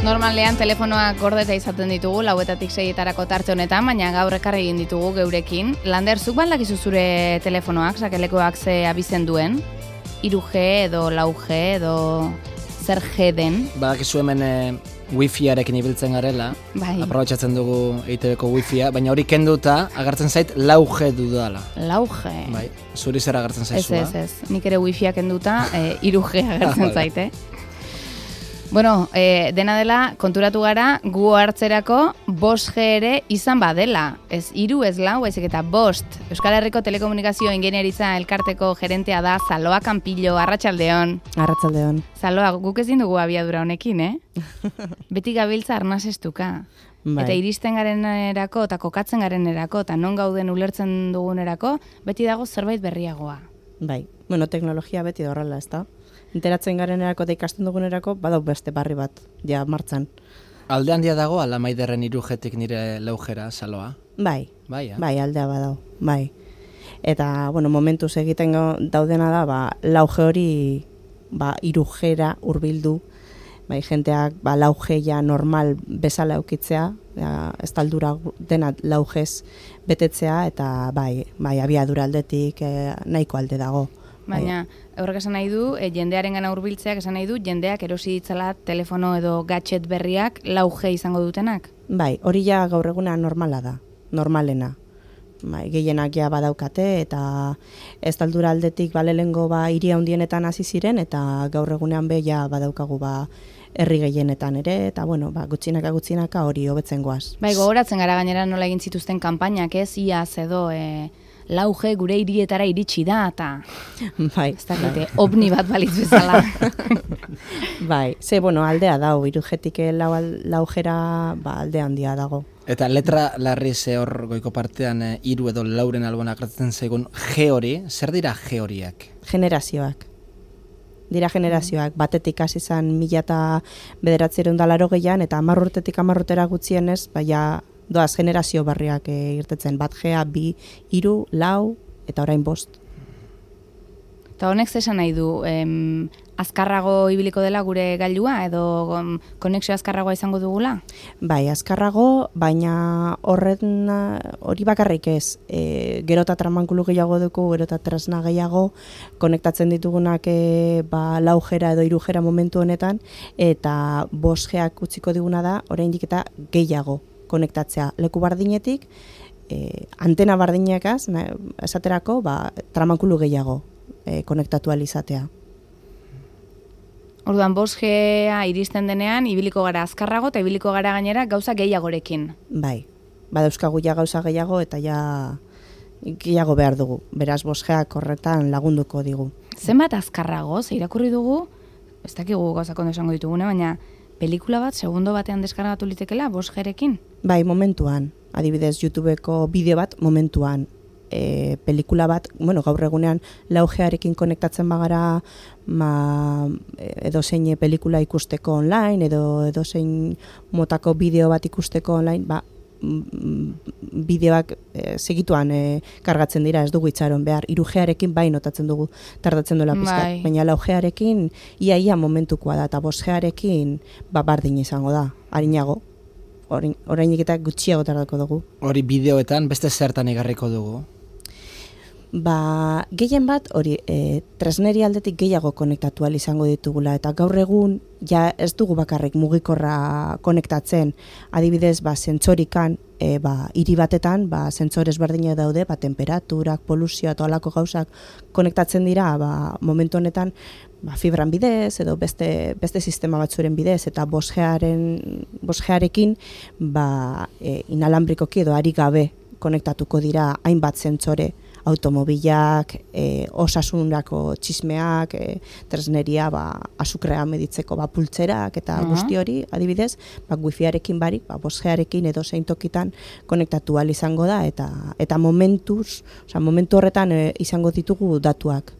Normalean telefonoak gordeta izaten ditugu, 4-6 tarte honetan, baina gaur ekarri egin ditugu geurekin. Lander, zuk baldakizu zure telefonoak, sakelekoak ze abizen duen? 3G edo 4G edo zer G den? Badakizu hemen wifiarekin ibiltzen garela, bai. Aprobetxatzen dugu EITB-ko wifia, baina hori kenduta agertzen zait 4G dudala. 4G? Bai, zuri zer agertzen zaizua? Ez, nik ere wifia kenduta 3G agertzen zaite. Bueno, dena dela, konturatu gara, gu hartzerako 5G ere izan badela. Ez 3, ez 4, baizik eta 5. Euskal Herriko Telekomunikazio Ingeniaritza elkarteko gerentea da Zaloa Kanpillo, arratsaldeon. Arratsaldeon. Zaloa, guk ezin dugu abiadura honekin, Beti gabiltza arnasestuka. Bai. Eta iristen garenerako, eta kokatzen garenerako, eta non gauden ulertzen dugunerako, beti dago zerbait berriagoa. Bai, bueno, teknologia beti da horrela, ezta? Enteratzen garenerako eta ikasten dugunerako, badau beste barri bat, ja, martzan. Alde handia dago, ala Maiderren 3G-tik nire 4G-ra, Zaloa? Bai, bai, aldea badau, bai. Eta, bueno, momentuz egiten daudena da, 4G hori, 3G-ra hurbildu, bai, jenteak, 4G ja normal bezala eukitzea, ez taldura dena 4Gz betetzea, eta bai, abiadura aldetik nahiko alde dago. Baina, horrek esan nahi du, jendearen gana hurbiltzeak esan nahi du, jendeak erosi ditzala telefono edo gadget berriak 4G izango dutenak? Bai, hori ja gaur eguna normala da, normalena. Bai, gehienak ja badaukate eta ez taldura aldetik lehengo hiri handienetan hasi ziren eta gaur egunean be ja badaukagu herri gehienetan ere, eta bueno, gutxinaka hori hobetzen goaz. Bai, gogoratzen gara gainera nola egin zituzten kanpainak, iaz edo 4G gure hirietara iritsi da, eta bai, ez dakite, ovni bat balitz bezala. Bai, bueno, aldea dago, 3G-tik 4G-ra alde handia dago. Eta letra larri ze hor goiko partean 3 edo 4-ren alboan agertzen zaigun G hori, zer dira G horiak? Generazioak. Dira generazioak, batetik hasi izan 1980an eta 10 urtetik 10 urtera gutxienez, doaz generazio barriak irtetzen, 1G, 2, 3, 4 eta orain 5. Eta honek zesan nahi du, azkarrago ibiliko dela gure gailua edo konexio azkarragoa izango dugula? Bai, azkarrago, baina hori bakarrik ez. Gero eta tramankulu gehiago dugu, gero eta tresna gehiago, konektatzen ditugunak 4G-ra edo 3G-ra momentu honetan, eta 5G-ak utziko diguna da, oraindik eta gehiago konektatzea. Leku bardinetik, antena bardinekaz, esaterako, tramankulu gehiago konektatu alizatea. Orduan, 5G-a iristen denean, ibiliko gara azkarrago eta ibiliko gara gainera gauza gehiagorekin. Bai, badauzkagu ja gauza gehiago eta ja gehiago behar dugu. Beraz, 5G-ak horretan lagunduko digu. Zenbat azkarrago, ze irakurri dugu, ez dakigu gauzak ondo esango ditugune, baina pelikula bat segundo batean deskargatu litekela 5G-rekin? Bai, momentuan. Adibidez, YouTubeko bideo bat momentuan. Pelikula bat, gaur egunean 4G-arekin konektatzen bagara edo zein pelikula ikusteko online, edo zein motako bideo bat ikusteko online, bideoak segituan kargatzen dira, ez dugu itxaron behar. 3G-arekin bai notatzen dugu tardatzen duela pizkat, baina 4G-arekin ia momentukoa da, eta 5G-arekin bardin izango da, harinago. Orainik eta gutxiago tardako dugu. Hori bideoetan beste zertan igarriko dugu? Gehien bat, hori, tresneri aldetik gehiago konektatu izango ditugula, eta gaur egun, ja ez dugu bakarrik mugikorra konektatzen, adibidez, zentsorikan, hiri batetan, zentsores berdina daude, temperaturak, poluzioa eta olako gauzak konektatzen dira, momentu honetan, fibran bidez, edo beste sistema batzuren bidez, eta 5G-arekin, inalambrikoki edo ari gabe konektatuko dira hainbat zentsore, automobilak, osasunrako txismeak, tresneria, azukrea meditzeko pultzerak eta guzti hori, adibidez, wifi-arekin 5G-arekin edo zein tokitan konektatu ahal izango da, eta momentu horretan izango ditugu datuak.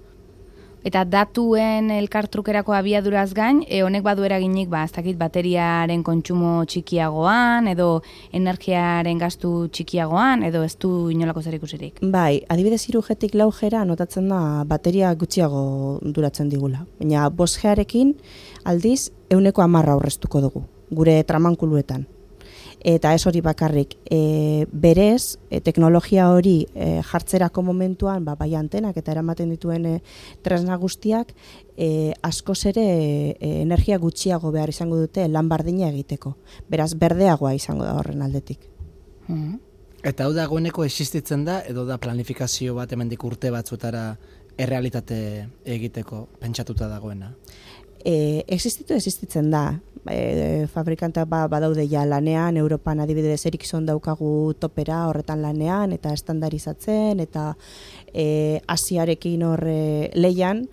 Eta datuen elkartrukerako abiaduraz gain, honek badu eraginik, ez dakit, bateriaren kontsumo txikiagoan, edo energiaren gastu txikiagoan, edo ez du inolako zer ikusirik? Bai, adibidez 3G-tik 4G-ra notatzen da bateria gutxiago duratzen digula. Baina 5G-arekin aldiz 110 aurreztuko dugu. gure tramankuluetan. Eta ez hori bakarrik, berez, teknologia hori jartzerako momentuan, bai antenak eta eramaten dituen tresna guztiak, askoz ere energia gutxiago behar izango dute lan bardina egiteko. Beraz, berdeagoa izango da horren aldetik. Eta hau dagoeneko existitzen da, edo da planifikazio bat hemendik urte batzutara errealitate egiteko pentsatuta dagoena? Existitzen da. Fabrikantak badaude ja lanean, Europan adibidez Ericsson daukagu topera horretan lanean, eta estandarizatzen, eta Asiarekin horre leian,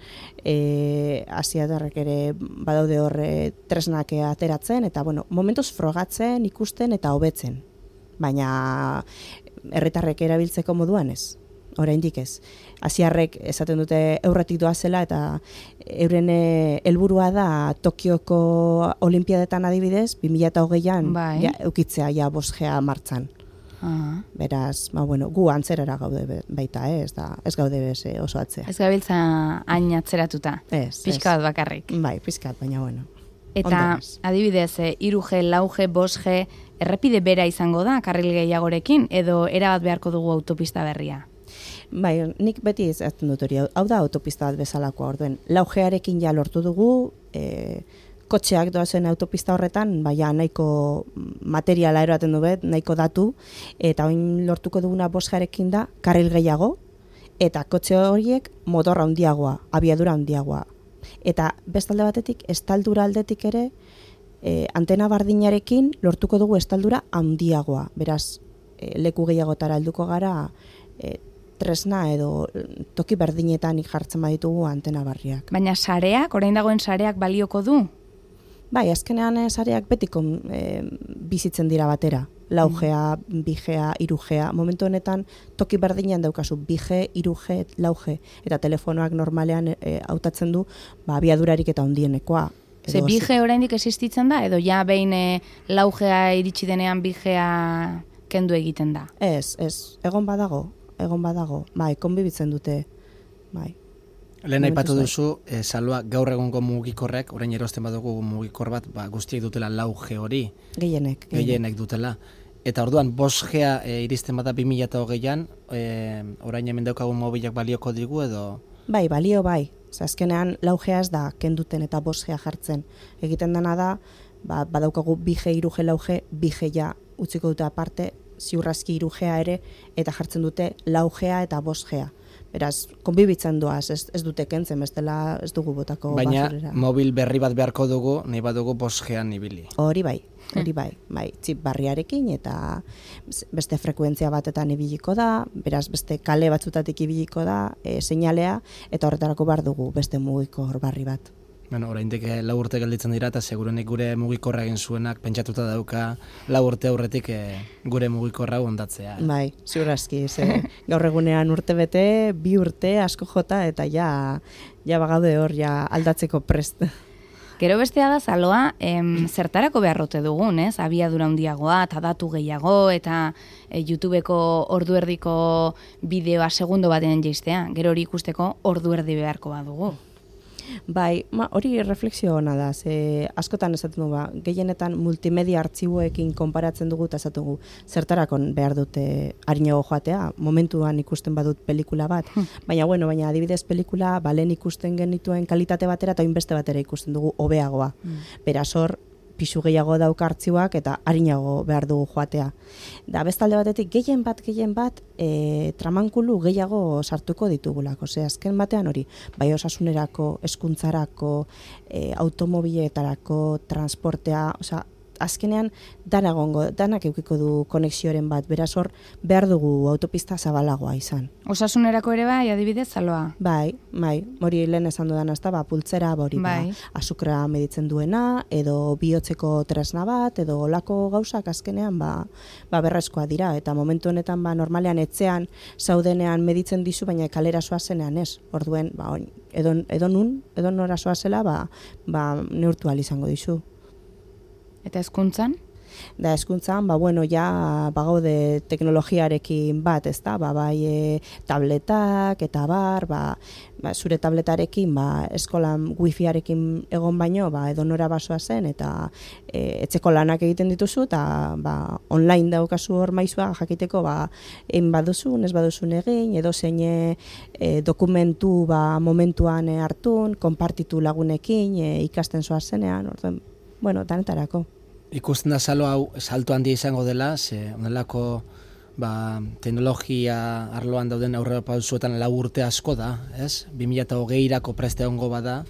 Asiatarrek ere badaude horre tresnak ateratzen, eta momentuz frogatzen, ikusten eta hobetzen. Baina herritarrek erabiltzeko moduan ez. Oraindik ez. Asiarrek esaten dute eurretik doazela eta euren helburua da Tokioko Olimpiadetan adibidez 2020an eukitzea 5G martxan. Beraz, gu antzerara gaude baita, ez gaude bez oso atzea. Ez gabiltza hain atzeratuta. Pixka bat bakarrik. Bai, pixka bat, baina Eta adibidez, 3G, 4G, 5G errepide bera izango da karril gehiagorekin edo erabat beharko dugu autopista berria? Bai, nik beti ezatzen dut hori, hau da autopista bat bezalakoa orduen. 4Grekin ja lortu dugu, kotxeak doazen autopista horretan, nahiko materiala eroaten du bet, nahiko datu, eta oin lortuko duguna 5Grekin da, karril gehiago, eta kotxe horiek motorra handiagoa, abiadura handiagoa. Eta bestalde batetik, estaldura aldetik ere, antena bardinarekin lortuko dugu estaldura handiagoa. Beraz, leku gehiagotara helduko gara, tresna edo toki berdinetan jartzen baditugu antena barriak. Baina sareak, orain dagoen sareak balioko du? Bai, azkenean sareak betiko bizitzen dira batera. 4G, 2G, 3G. Momentu honetan toki berdinean daukazu 2G, 3G, 4G. Eta telefonoak normalean hautatzen du abiadurarik eta handienekoa. Ze 2G oraindik existitzen da? Edo ja behin 4G iritsi denean 2G kendu egiten da? Ez, egon badago. Bai, konbibitzen dute. Bai. Lehen aipatu duzu, Salua, gaur egungo mugikorrek, orain erosten badugu mugikor bat, guztiek dutela 4G hori. Gehienek dutela. Eta orduan, 5G iristen bada 2020an, orain hemen daukagun mobilak balioko digu edo? Bai, balio bai. Azkenean 4G ez da kenduten eta 5G jartzen. Egiten dena da, badaukagu 2G, 3G, 4G, 2G ja utziko dute aparte, ziurrazki 3G ere, eta jartzen dute 4G eta 5G. Beraz, konbibitzen doaz, ez dute kentzen, bestela ez dugu botako baina, basurera. Baina, mobil berri bat beharko dugu, nahi badugu 5G-an ibili. Hori bai, txip barriarekin eta beste frekuentzia batetan ibiliko da, beraz beste kale batzutatik ibiliko da, seinalea, eta horretarako behar dugu beste mugikor barri bat. Bueno, oraindik 4 urte gelditzen dira eta segurenik gure mugikorra egin zuenak pentsatuta dauka 4 urte aurretik gure mugikorra hondatzea. Bai, ziurrazki, gaur egunean urte bete, 2 urte asko jota eta ja bagaude hor aldatzeko prest. Gero bestea da Saloa, zertarako beharrote dugun, ez? Abiadura handiagoa eta datu gehiago eta YouTubeko ordu erdiko bideoa segundo baten jaistea. Gero hori ikusteko ordu erdi beharko badugu. Bai, hori refleksio hona da, askotan esaten dugu, gehienetan multimedia artxiboekin konparatzen dugu eta esaten dugu, zertarakon behar dute harinago joatea, momentuan ikusten badut pelikula bat, baina adibidez pelikula, lehen ikusten genituen kalitate batera eta beste batera ikusten dugu hobeagoa. Beraz hor, pisu gehiago dauka artxiboak eta harinago behar dugu joatea. Da bestalde batetik gehien bat tramankulu gehiago sartuko ditugulako. Azken batean hori, bai osasunerako, hezkuntzarako, automobiletarako, transportea, azkenean danak eukiko du konexioren bat, beraz hor behar dugu autopista zabalagoa izan. Osasunerako ere bai, adibidez, Saloa? Bai, hori lehen esan dudan azta, pultzera, hori azukra meditzen duena, edo bihotzeko tresna bat, edo olako gauzak azkenean berrezkoa dira, eta momentu honetan normalean etxean zaudenean meditzen dizu, baina kalera zoazenean ez, orduen edo nora zoazela neurtu ahal izango dizu. Eta hezkuntzan? Da hezkuntzan, ja bagaude teknologiarekin bat, ezta? Bai tabletak eta zure tabletarekin eskolan wifiarekin egon baino, edonora basoa zen eta etxeko lanak egiten dituzu eta online daukazu hor maizua jakiteko egin baduzun, ez baduzun egin, edo zein dokumentu momentuan hartun, konpartitu lagunekin, ikasten zoaz zenean, orduan, danetarako. Ikusten da hau salto handia izango dela, ze onelako teknologia arloan dauden aurrera pausuetan 4 urte asko da, ez? 2020-erako preste egongo bada,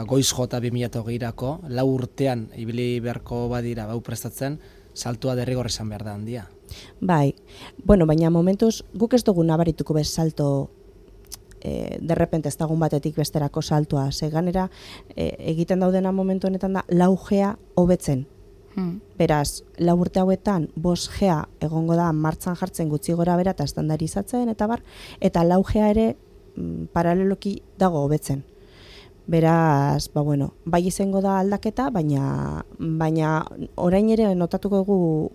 goiz jota 2020-erako, 4 urtean ibili beharko badira prestatzen, saltua derrigor esan behar da handia. Bai, baina momentuz guk ez dugu nabarituko bez salto derrepente ez dagun batetik besterako saltoa, ze ganera egiten daudena momentu honetan da 4G hobetzen. Beraz, 4 urte hauetan 5G egongo da martxan jartzen gutxi gora bera eta estandarizatzen eta 4G ere paraleloki dago hobetzen. Beraz, bai izango da aldaketa, baina orain ere notatuko dugu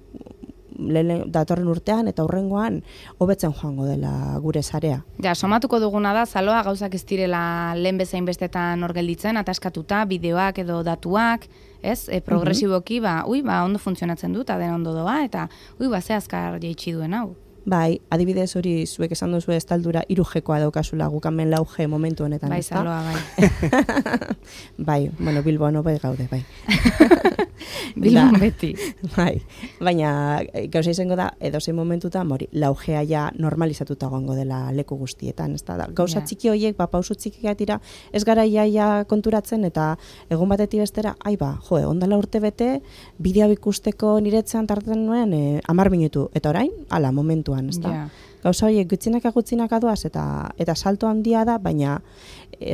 datorren urtean eta hurrengoan hobetzen joango dela gure sarea. Ja, somatuko duguna da, Saloa, gauzak ez direla lehen bezain bestetan hor gelditzen, ataskatuta, bideoak edo datuak, ez? Progresiboki, ondo funtzionatzen du, eta den ondo doa, eta ze azkar jaitsi duen hau. Bai, adibidez hori zuek esan duzu estaldura 3Gkoa daukazula gukamen 4G momentu honetan. Bai, Saloa, bai. Bai, Bilboan hobe gaude, bai. Bilbon beti. Bai, baina gauza izango da, edozein momentutan, 4G ja normalizatuta gongo dela leku guztietan, ez da. Gauza txiki horiek, pausu txikiak dira, ez gara iaia konturatzen, eta egun batetik bestera, ondala urte bete, bideo ikusteko niretzean tarten nuen 10 minutu, eta orain, momentu. Gauza horiek gutxinaka doaz eta salto handia da, baina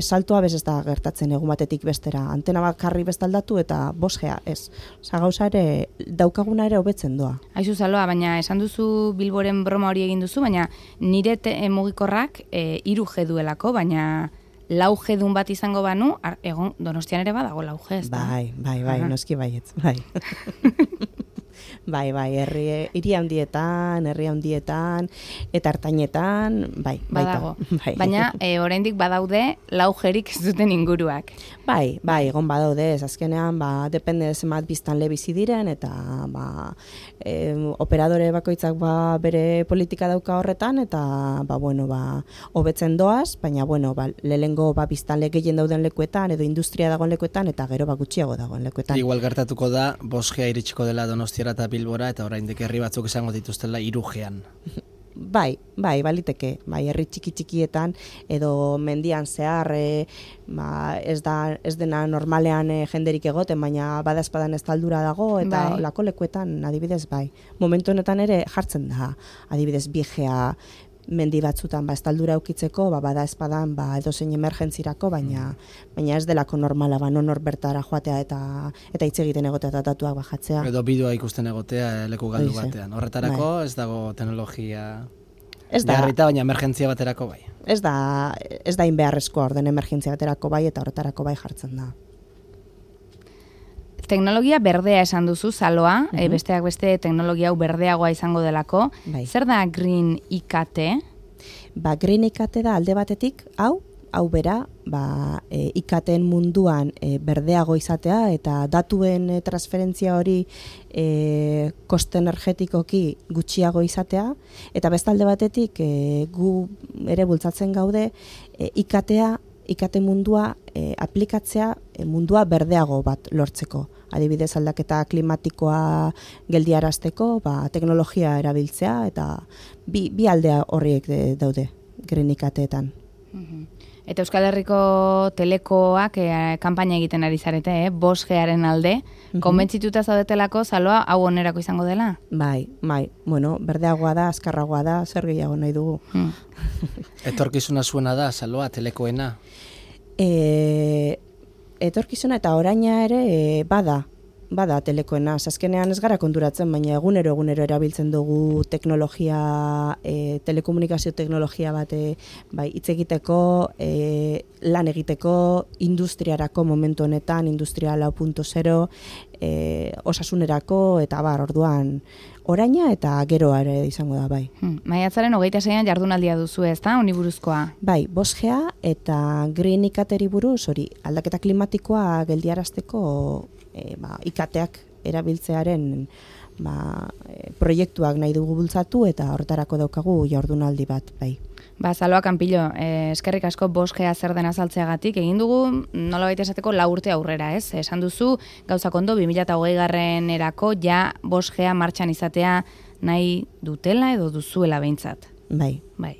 saltoa bez ez da gertatzen egun batetik bestera. Antena bakarri bestaldatu eta 5G ez. Gauza ere daukaguna ere hobetzen doa. Aizu Saloa, baina esan duzu Bilboren broma hori egin duzu, baina nire mugikorrak 3G duelako, baina 4G dun bat izango banu, egon Donostian ere badago 4G, ez da? Bai, noski baietz, bai. Bai, hiri handietan, eta hartainetan, bai. Badago. Baina, oraindik badaude 4Grik ez duten inguruak. Bai, egon badaude, ez azkenean, depende zenbat biztanle bizi diren, eta operadore bakoitzak bere politika dauka horretan, eta hobetzen doaz, baina, lehengo biztanle gehien dauden lekuetan, edo industria dagoen lekuetan, eta gero gutxiago dagoen lekuetan. Igual gertatuko da, 5G iritsiko dela Donostiara eta Bilbora, eta oraindik herri batzuk izango dituztela 3Gean. Bai, baliteke, herri txikietan edo mendian zehar ez dena normalean jenderik egoten, baina badaezpadan ez taldura dago eta lako lekuetan adibidez bai. Momentu honetan ere jartzen da, adibidez 2G mendi batzutan estaldura eukitzeko, bada espadan edozein emergentzirako, baina ez delako normala, non hor bertara joatea eta hitz egiten egotea eta datuak bajatzea. Edo bideoa ikusten egotea leku galdu batean. Horretarako ez dago teknologia beharrita, baina emergentzia baterako bai. Ez da inbeharrezkoa orden emergentzia baterako bai eta horretarako bai jartzen da. Teknologia berdea esan duzu, Saloa, besteak beste teknologia hau berdeagoa izango delako. Zer da Green IKT? Green IKT da alde batetik, hau bera, IKTen munduan berdeago izatea eta datuen transferentzia hori koste energetikoki gutxiago izatea, eta bestalde batetik gu ere bultzatzen gaude IKT mundua aplikatzea mundua berdeago bat lortzeko. Adibidez aldaketa klimatikoa geldiarazteko, teknologia erabiltzea eta bi aldea horriek daude Green IKT-etan. Eta Euskal Herriko Telekoak kanpaina egiten ari zarete, 5Garen alde. Konbentzituta zaudetelako, Saloa, hau onerako izango dela? Bai, berdeagoa da, azkarragoa da, zer gehiago nahi dugu. Etorkizuna zuena da, Saloa, Telekoena? Etorkizuna eta oraina ere bada Telekoena. Azkenean ez gara konturatzen, baina egunero erabiltzen dugu teknologia, telekomunikazio teknologia bat hitz egiteko, lan egiteko, industriarako momentu honetan, industria 4.0, osasunerako, eta orduan, oraina eta geroa ere izango da, bai. Maiatzaren 26an jardunaldia duzu, ez da, honi buruzkoa? Bai, bosgea eta green ikateri buruz, hori, aldaketa klimatikoa geldiarazteko ikateak erabiltzearen proiektuak nahi dugu bultzatu eta horretarako daukagu jardunaldi bat, bai. Salva Campillo, eskerrik asko bosgea zer den azaltzeagatik, egin dugu nolabait esateko 4 urte aurrera, ez? Esan duzu, gauzak ondo, 2020-erako ja bosgea martxan izatea nahi dutela edo duzuela behintzat. Bai. Bai.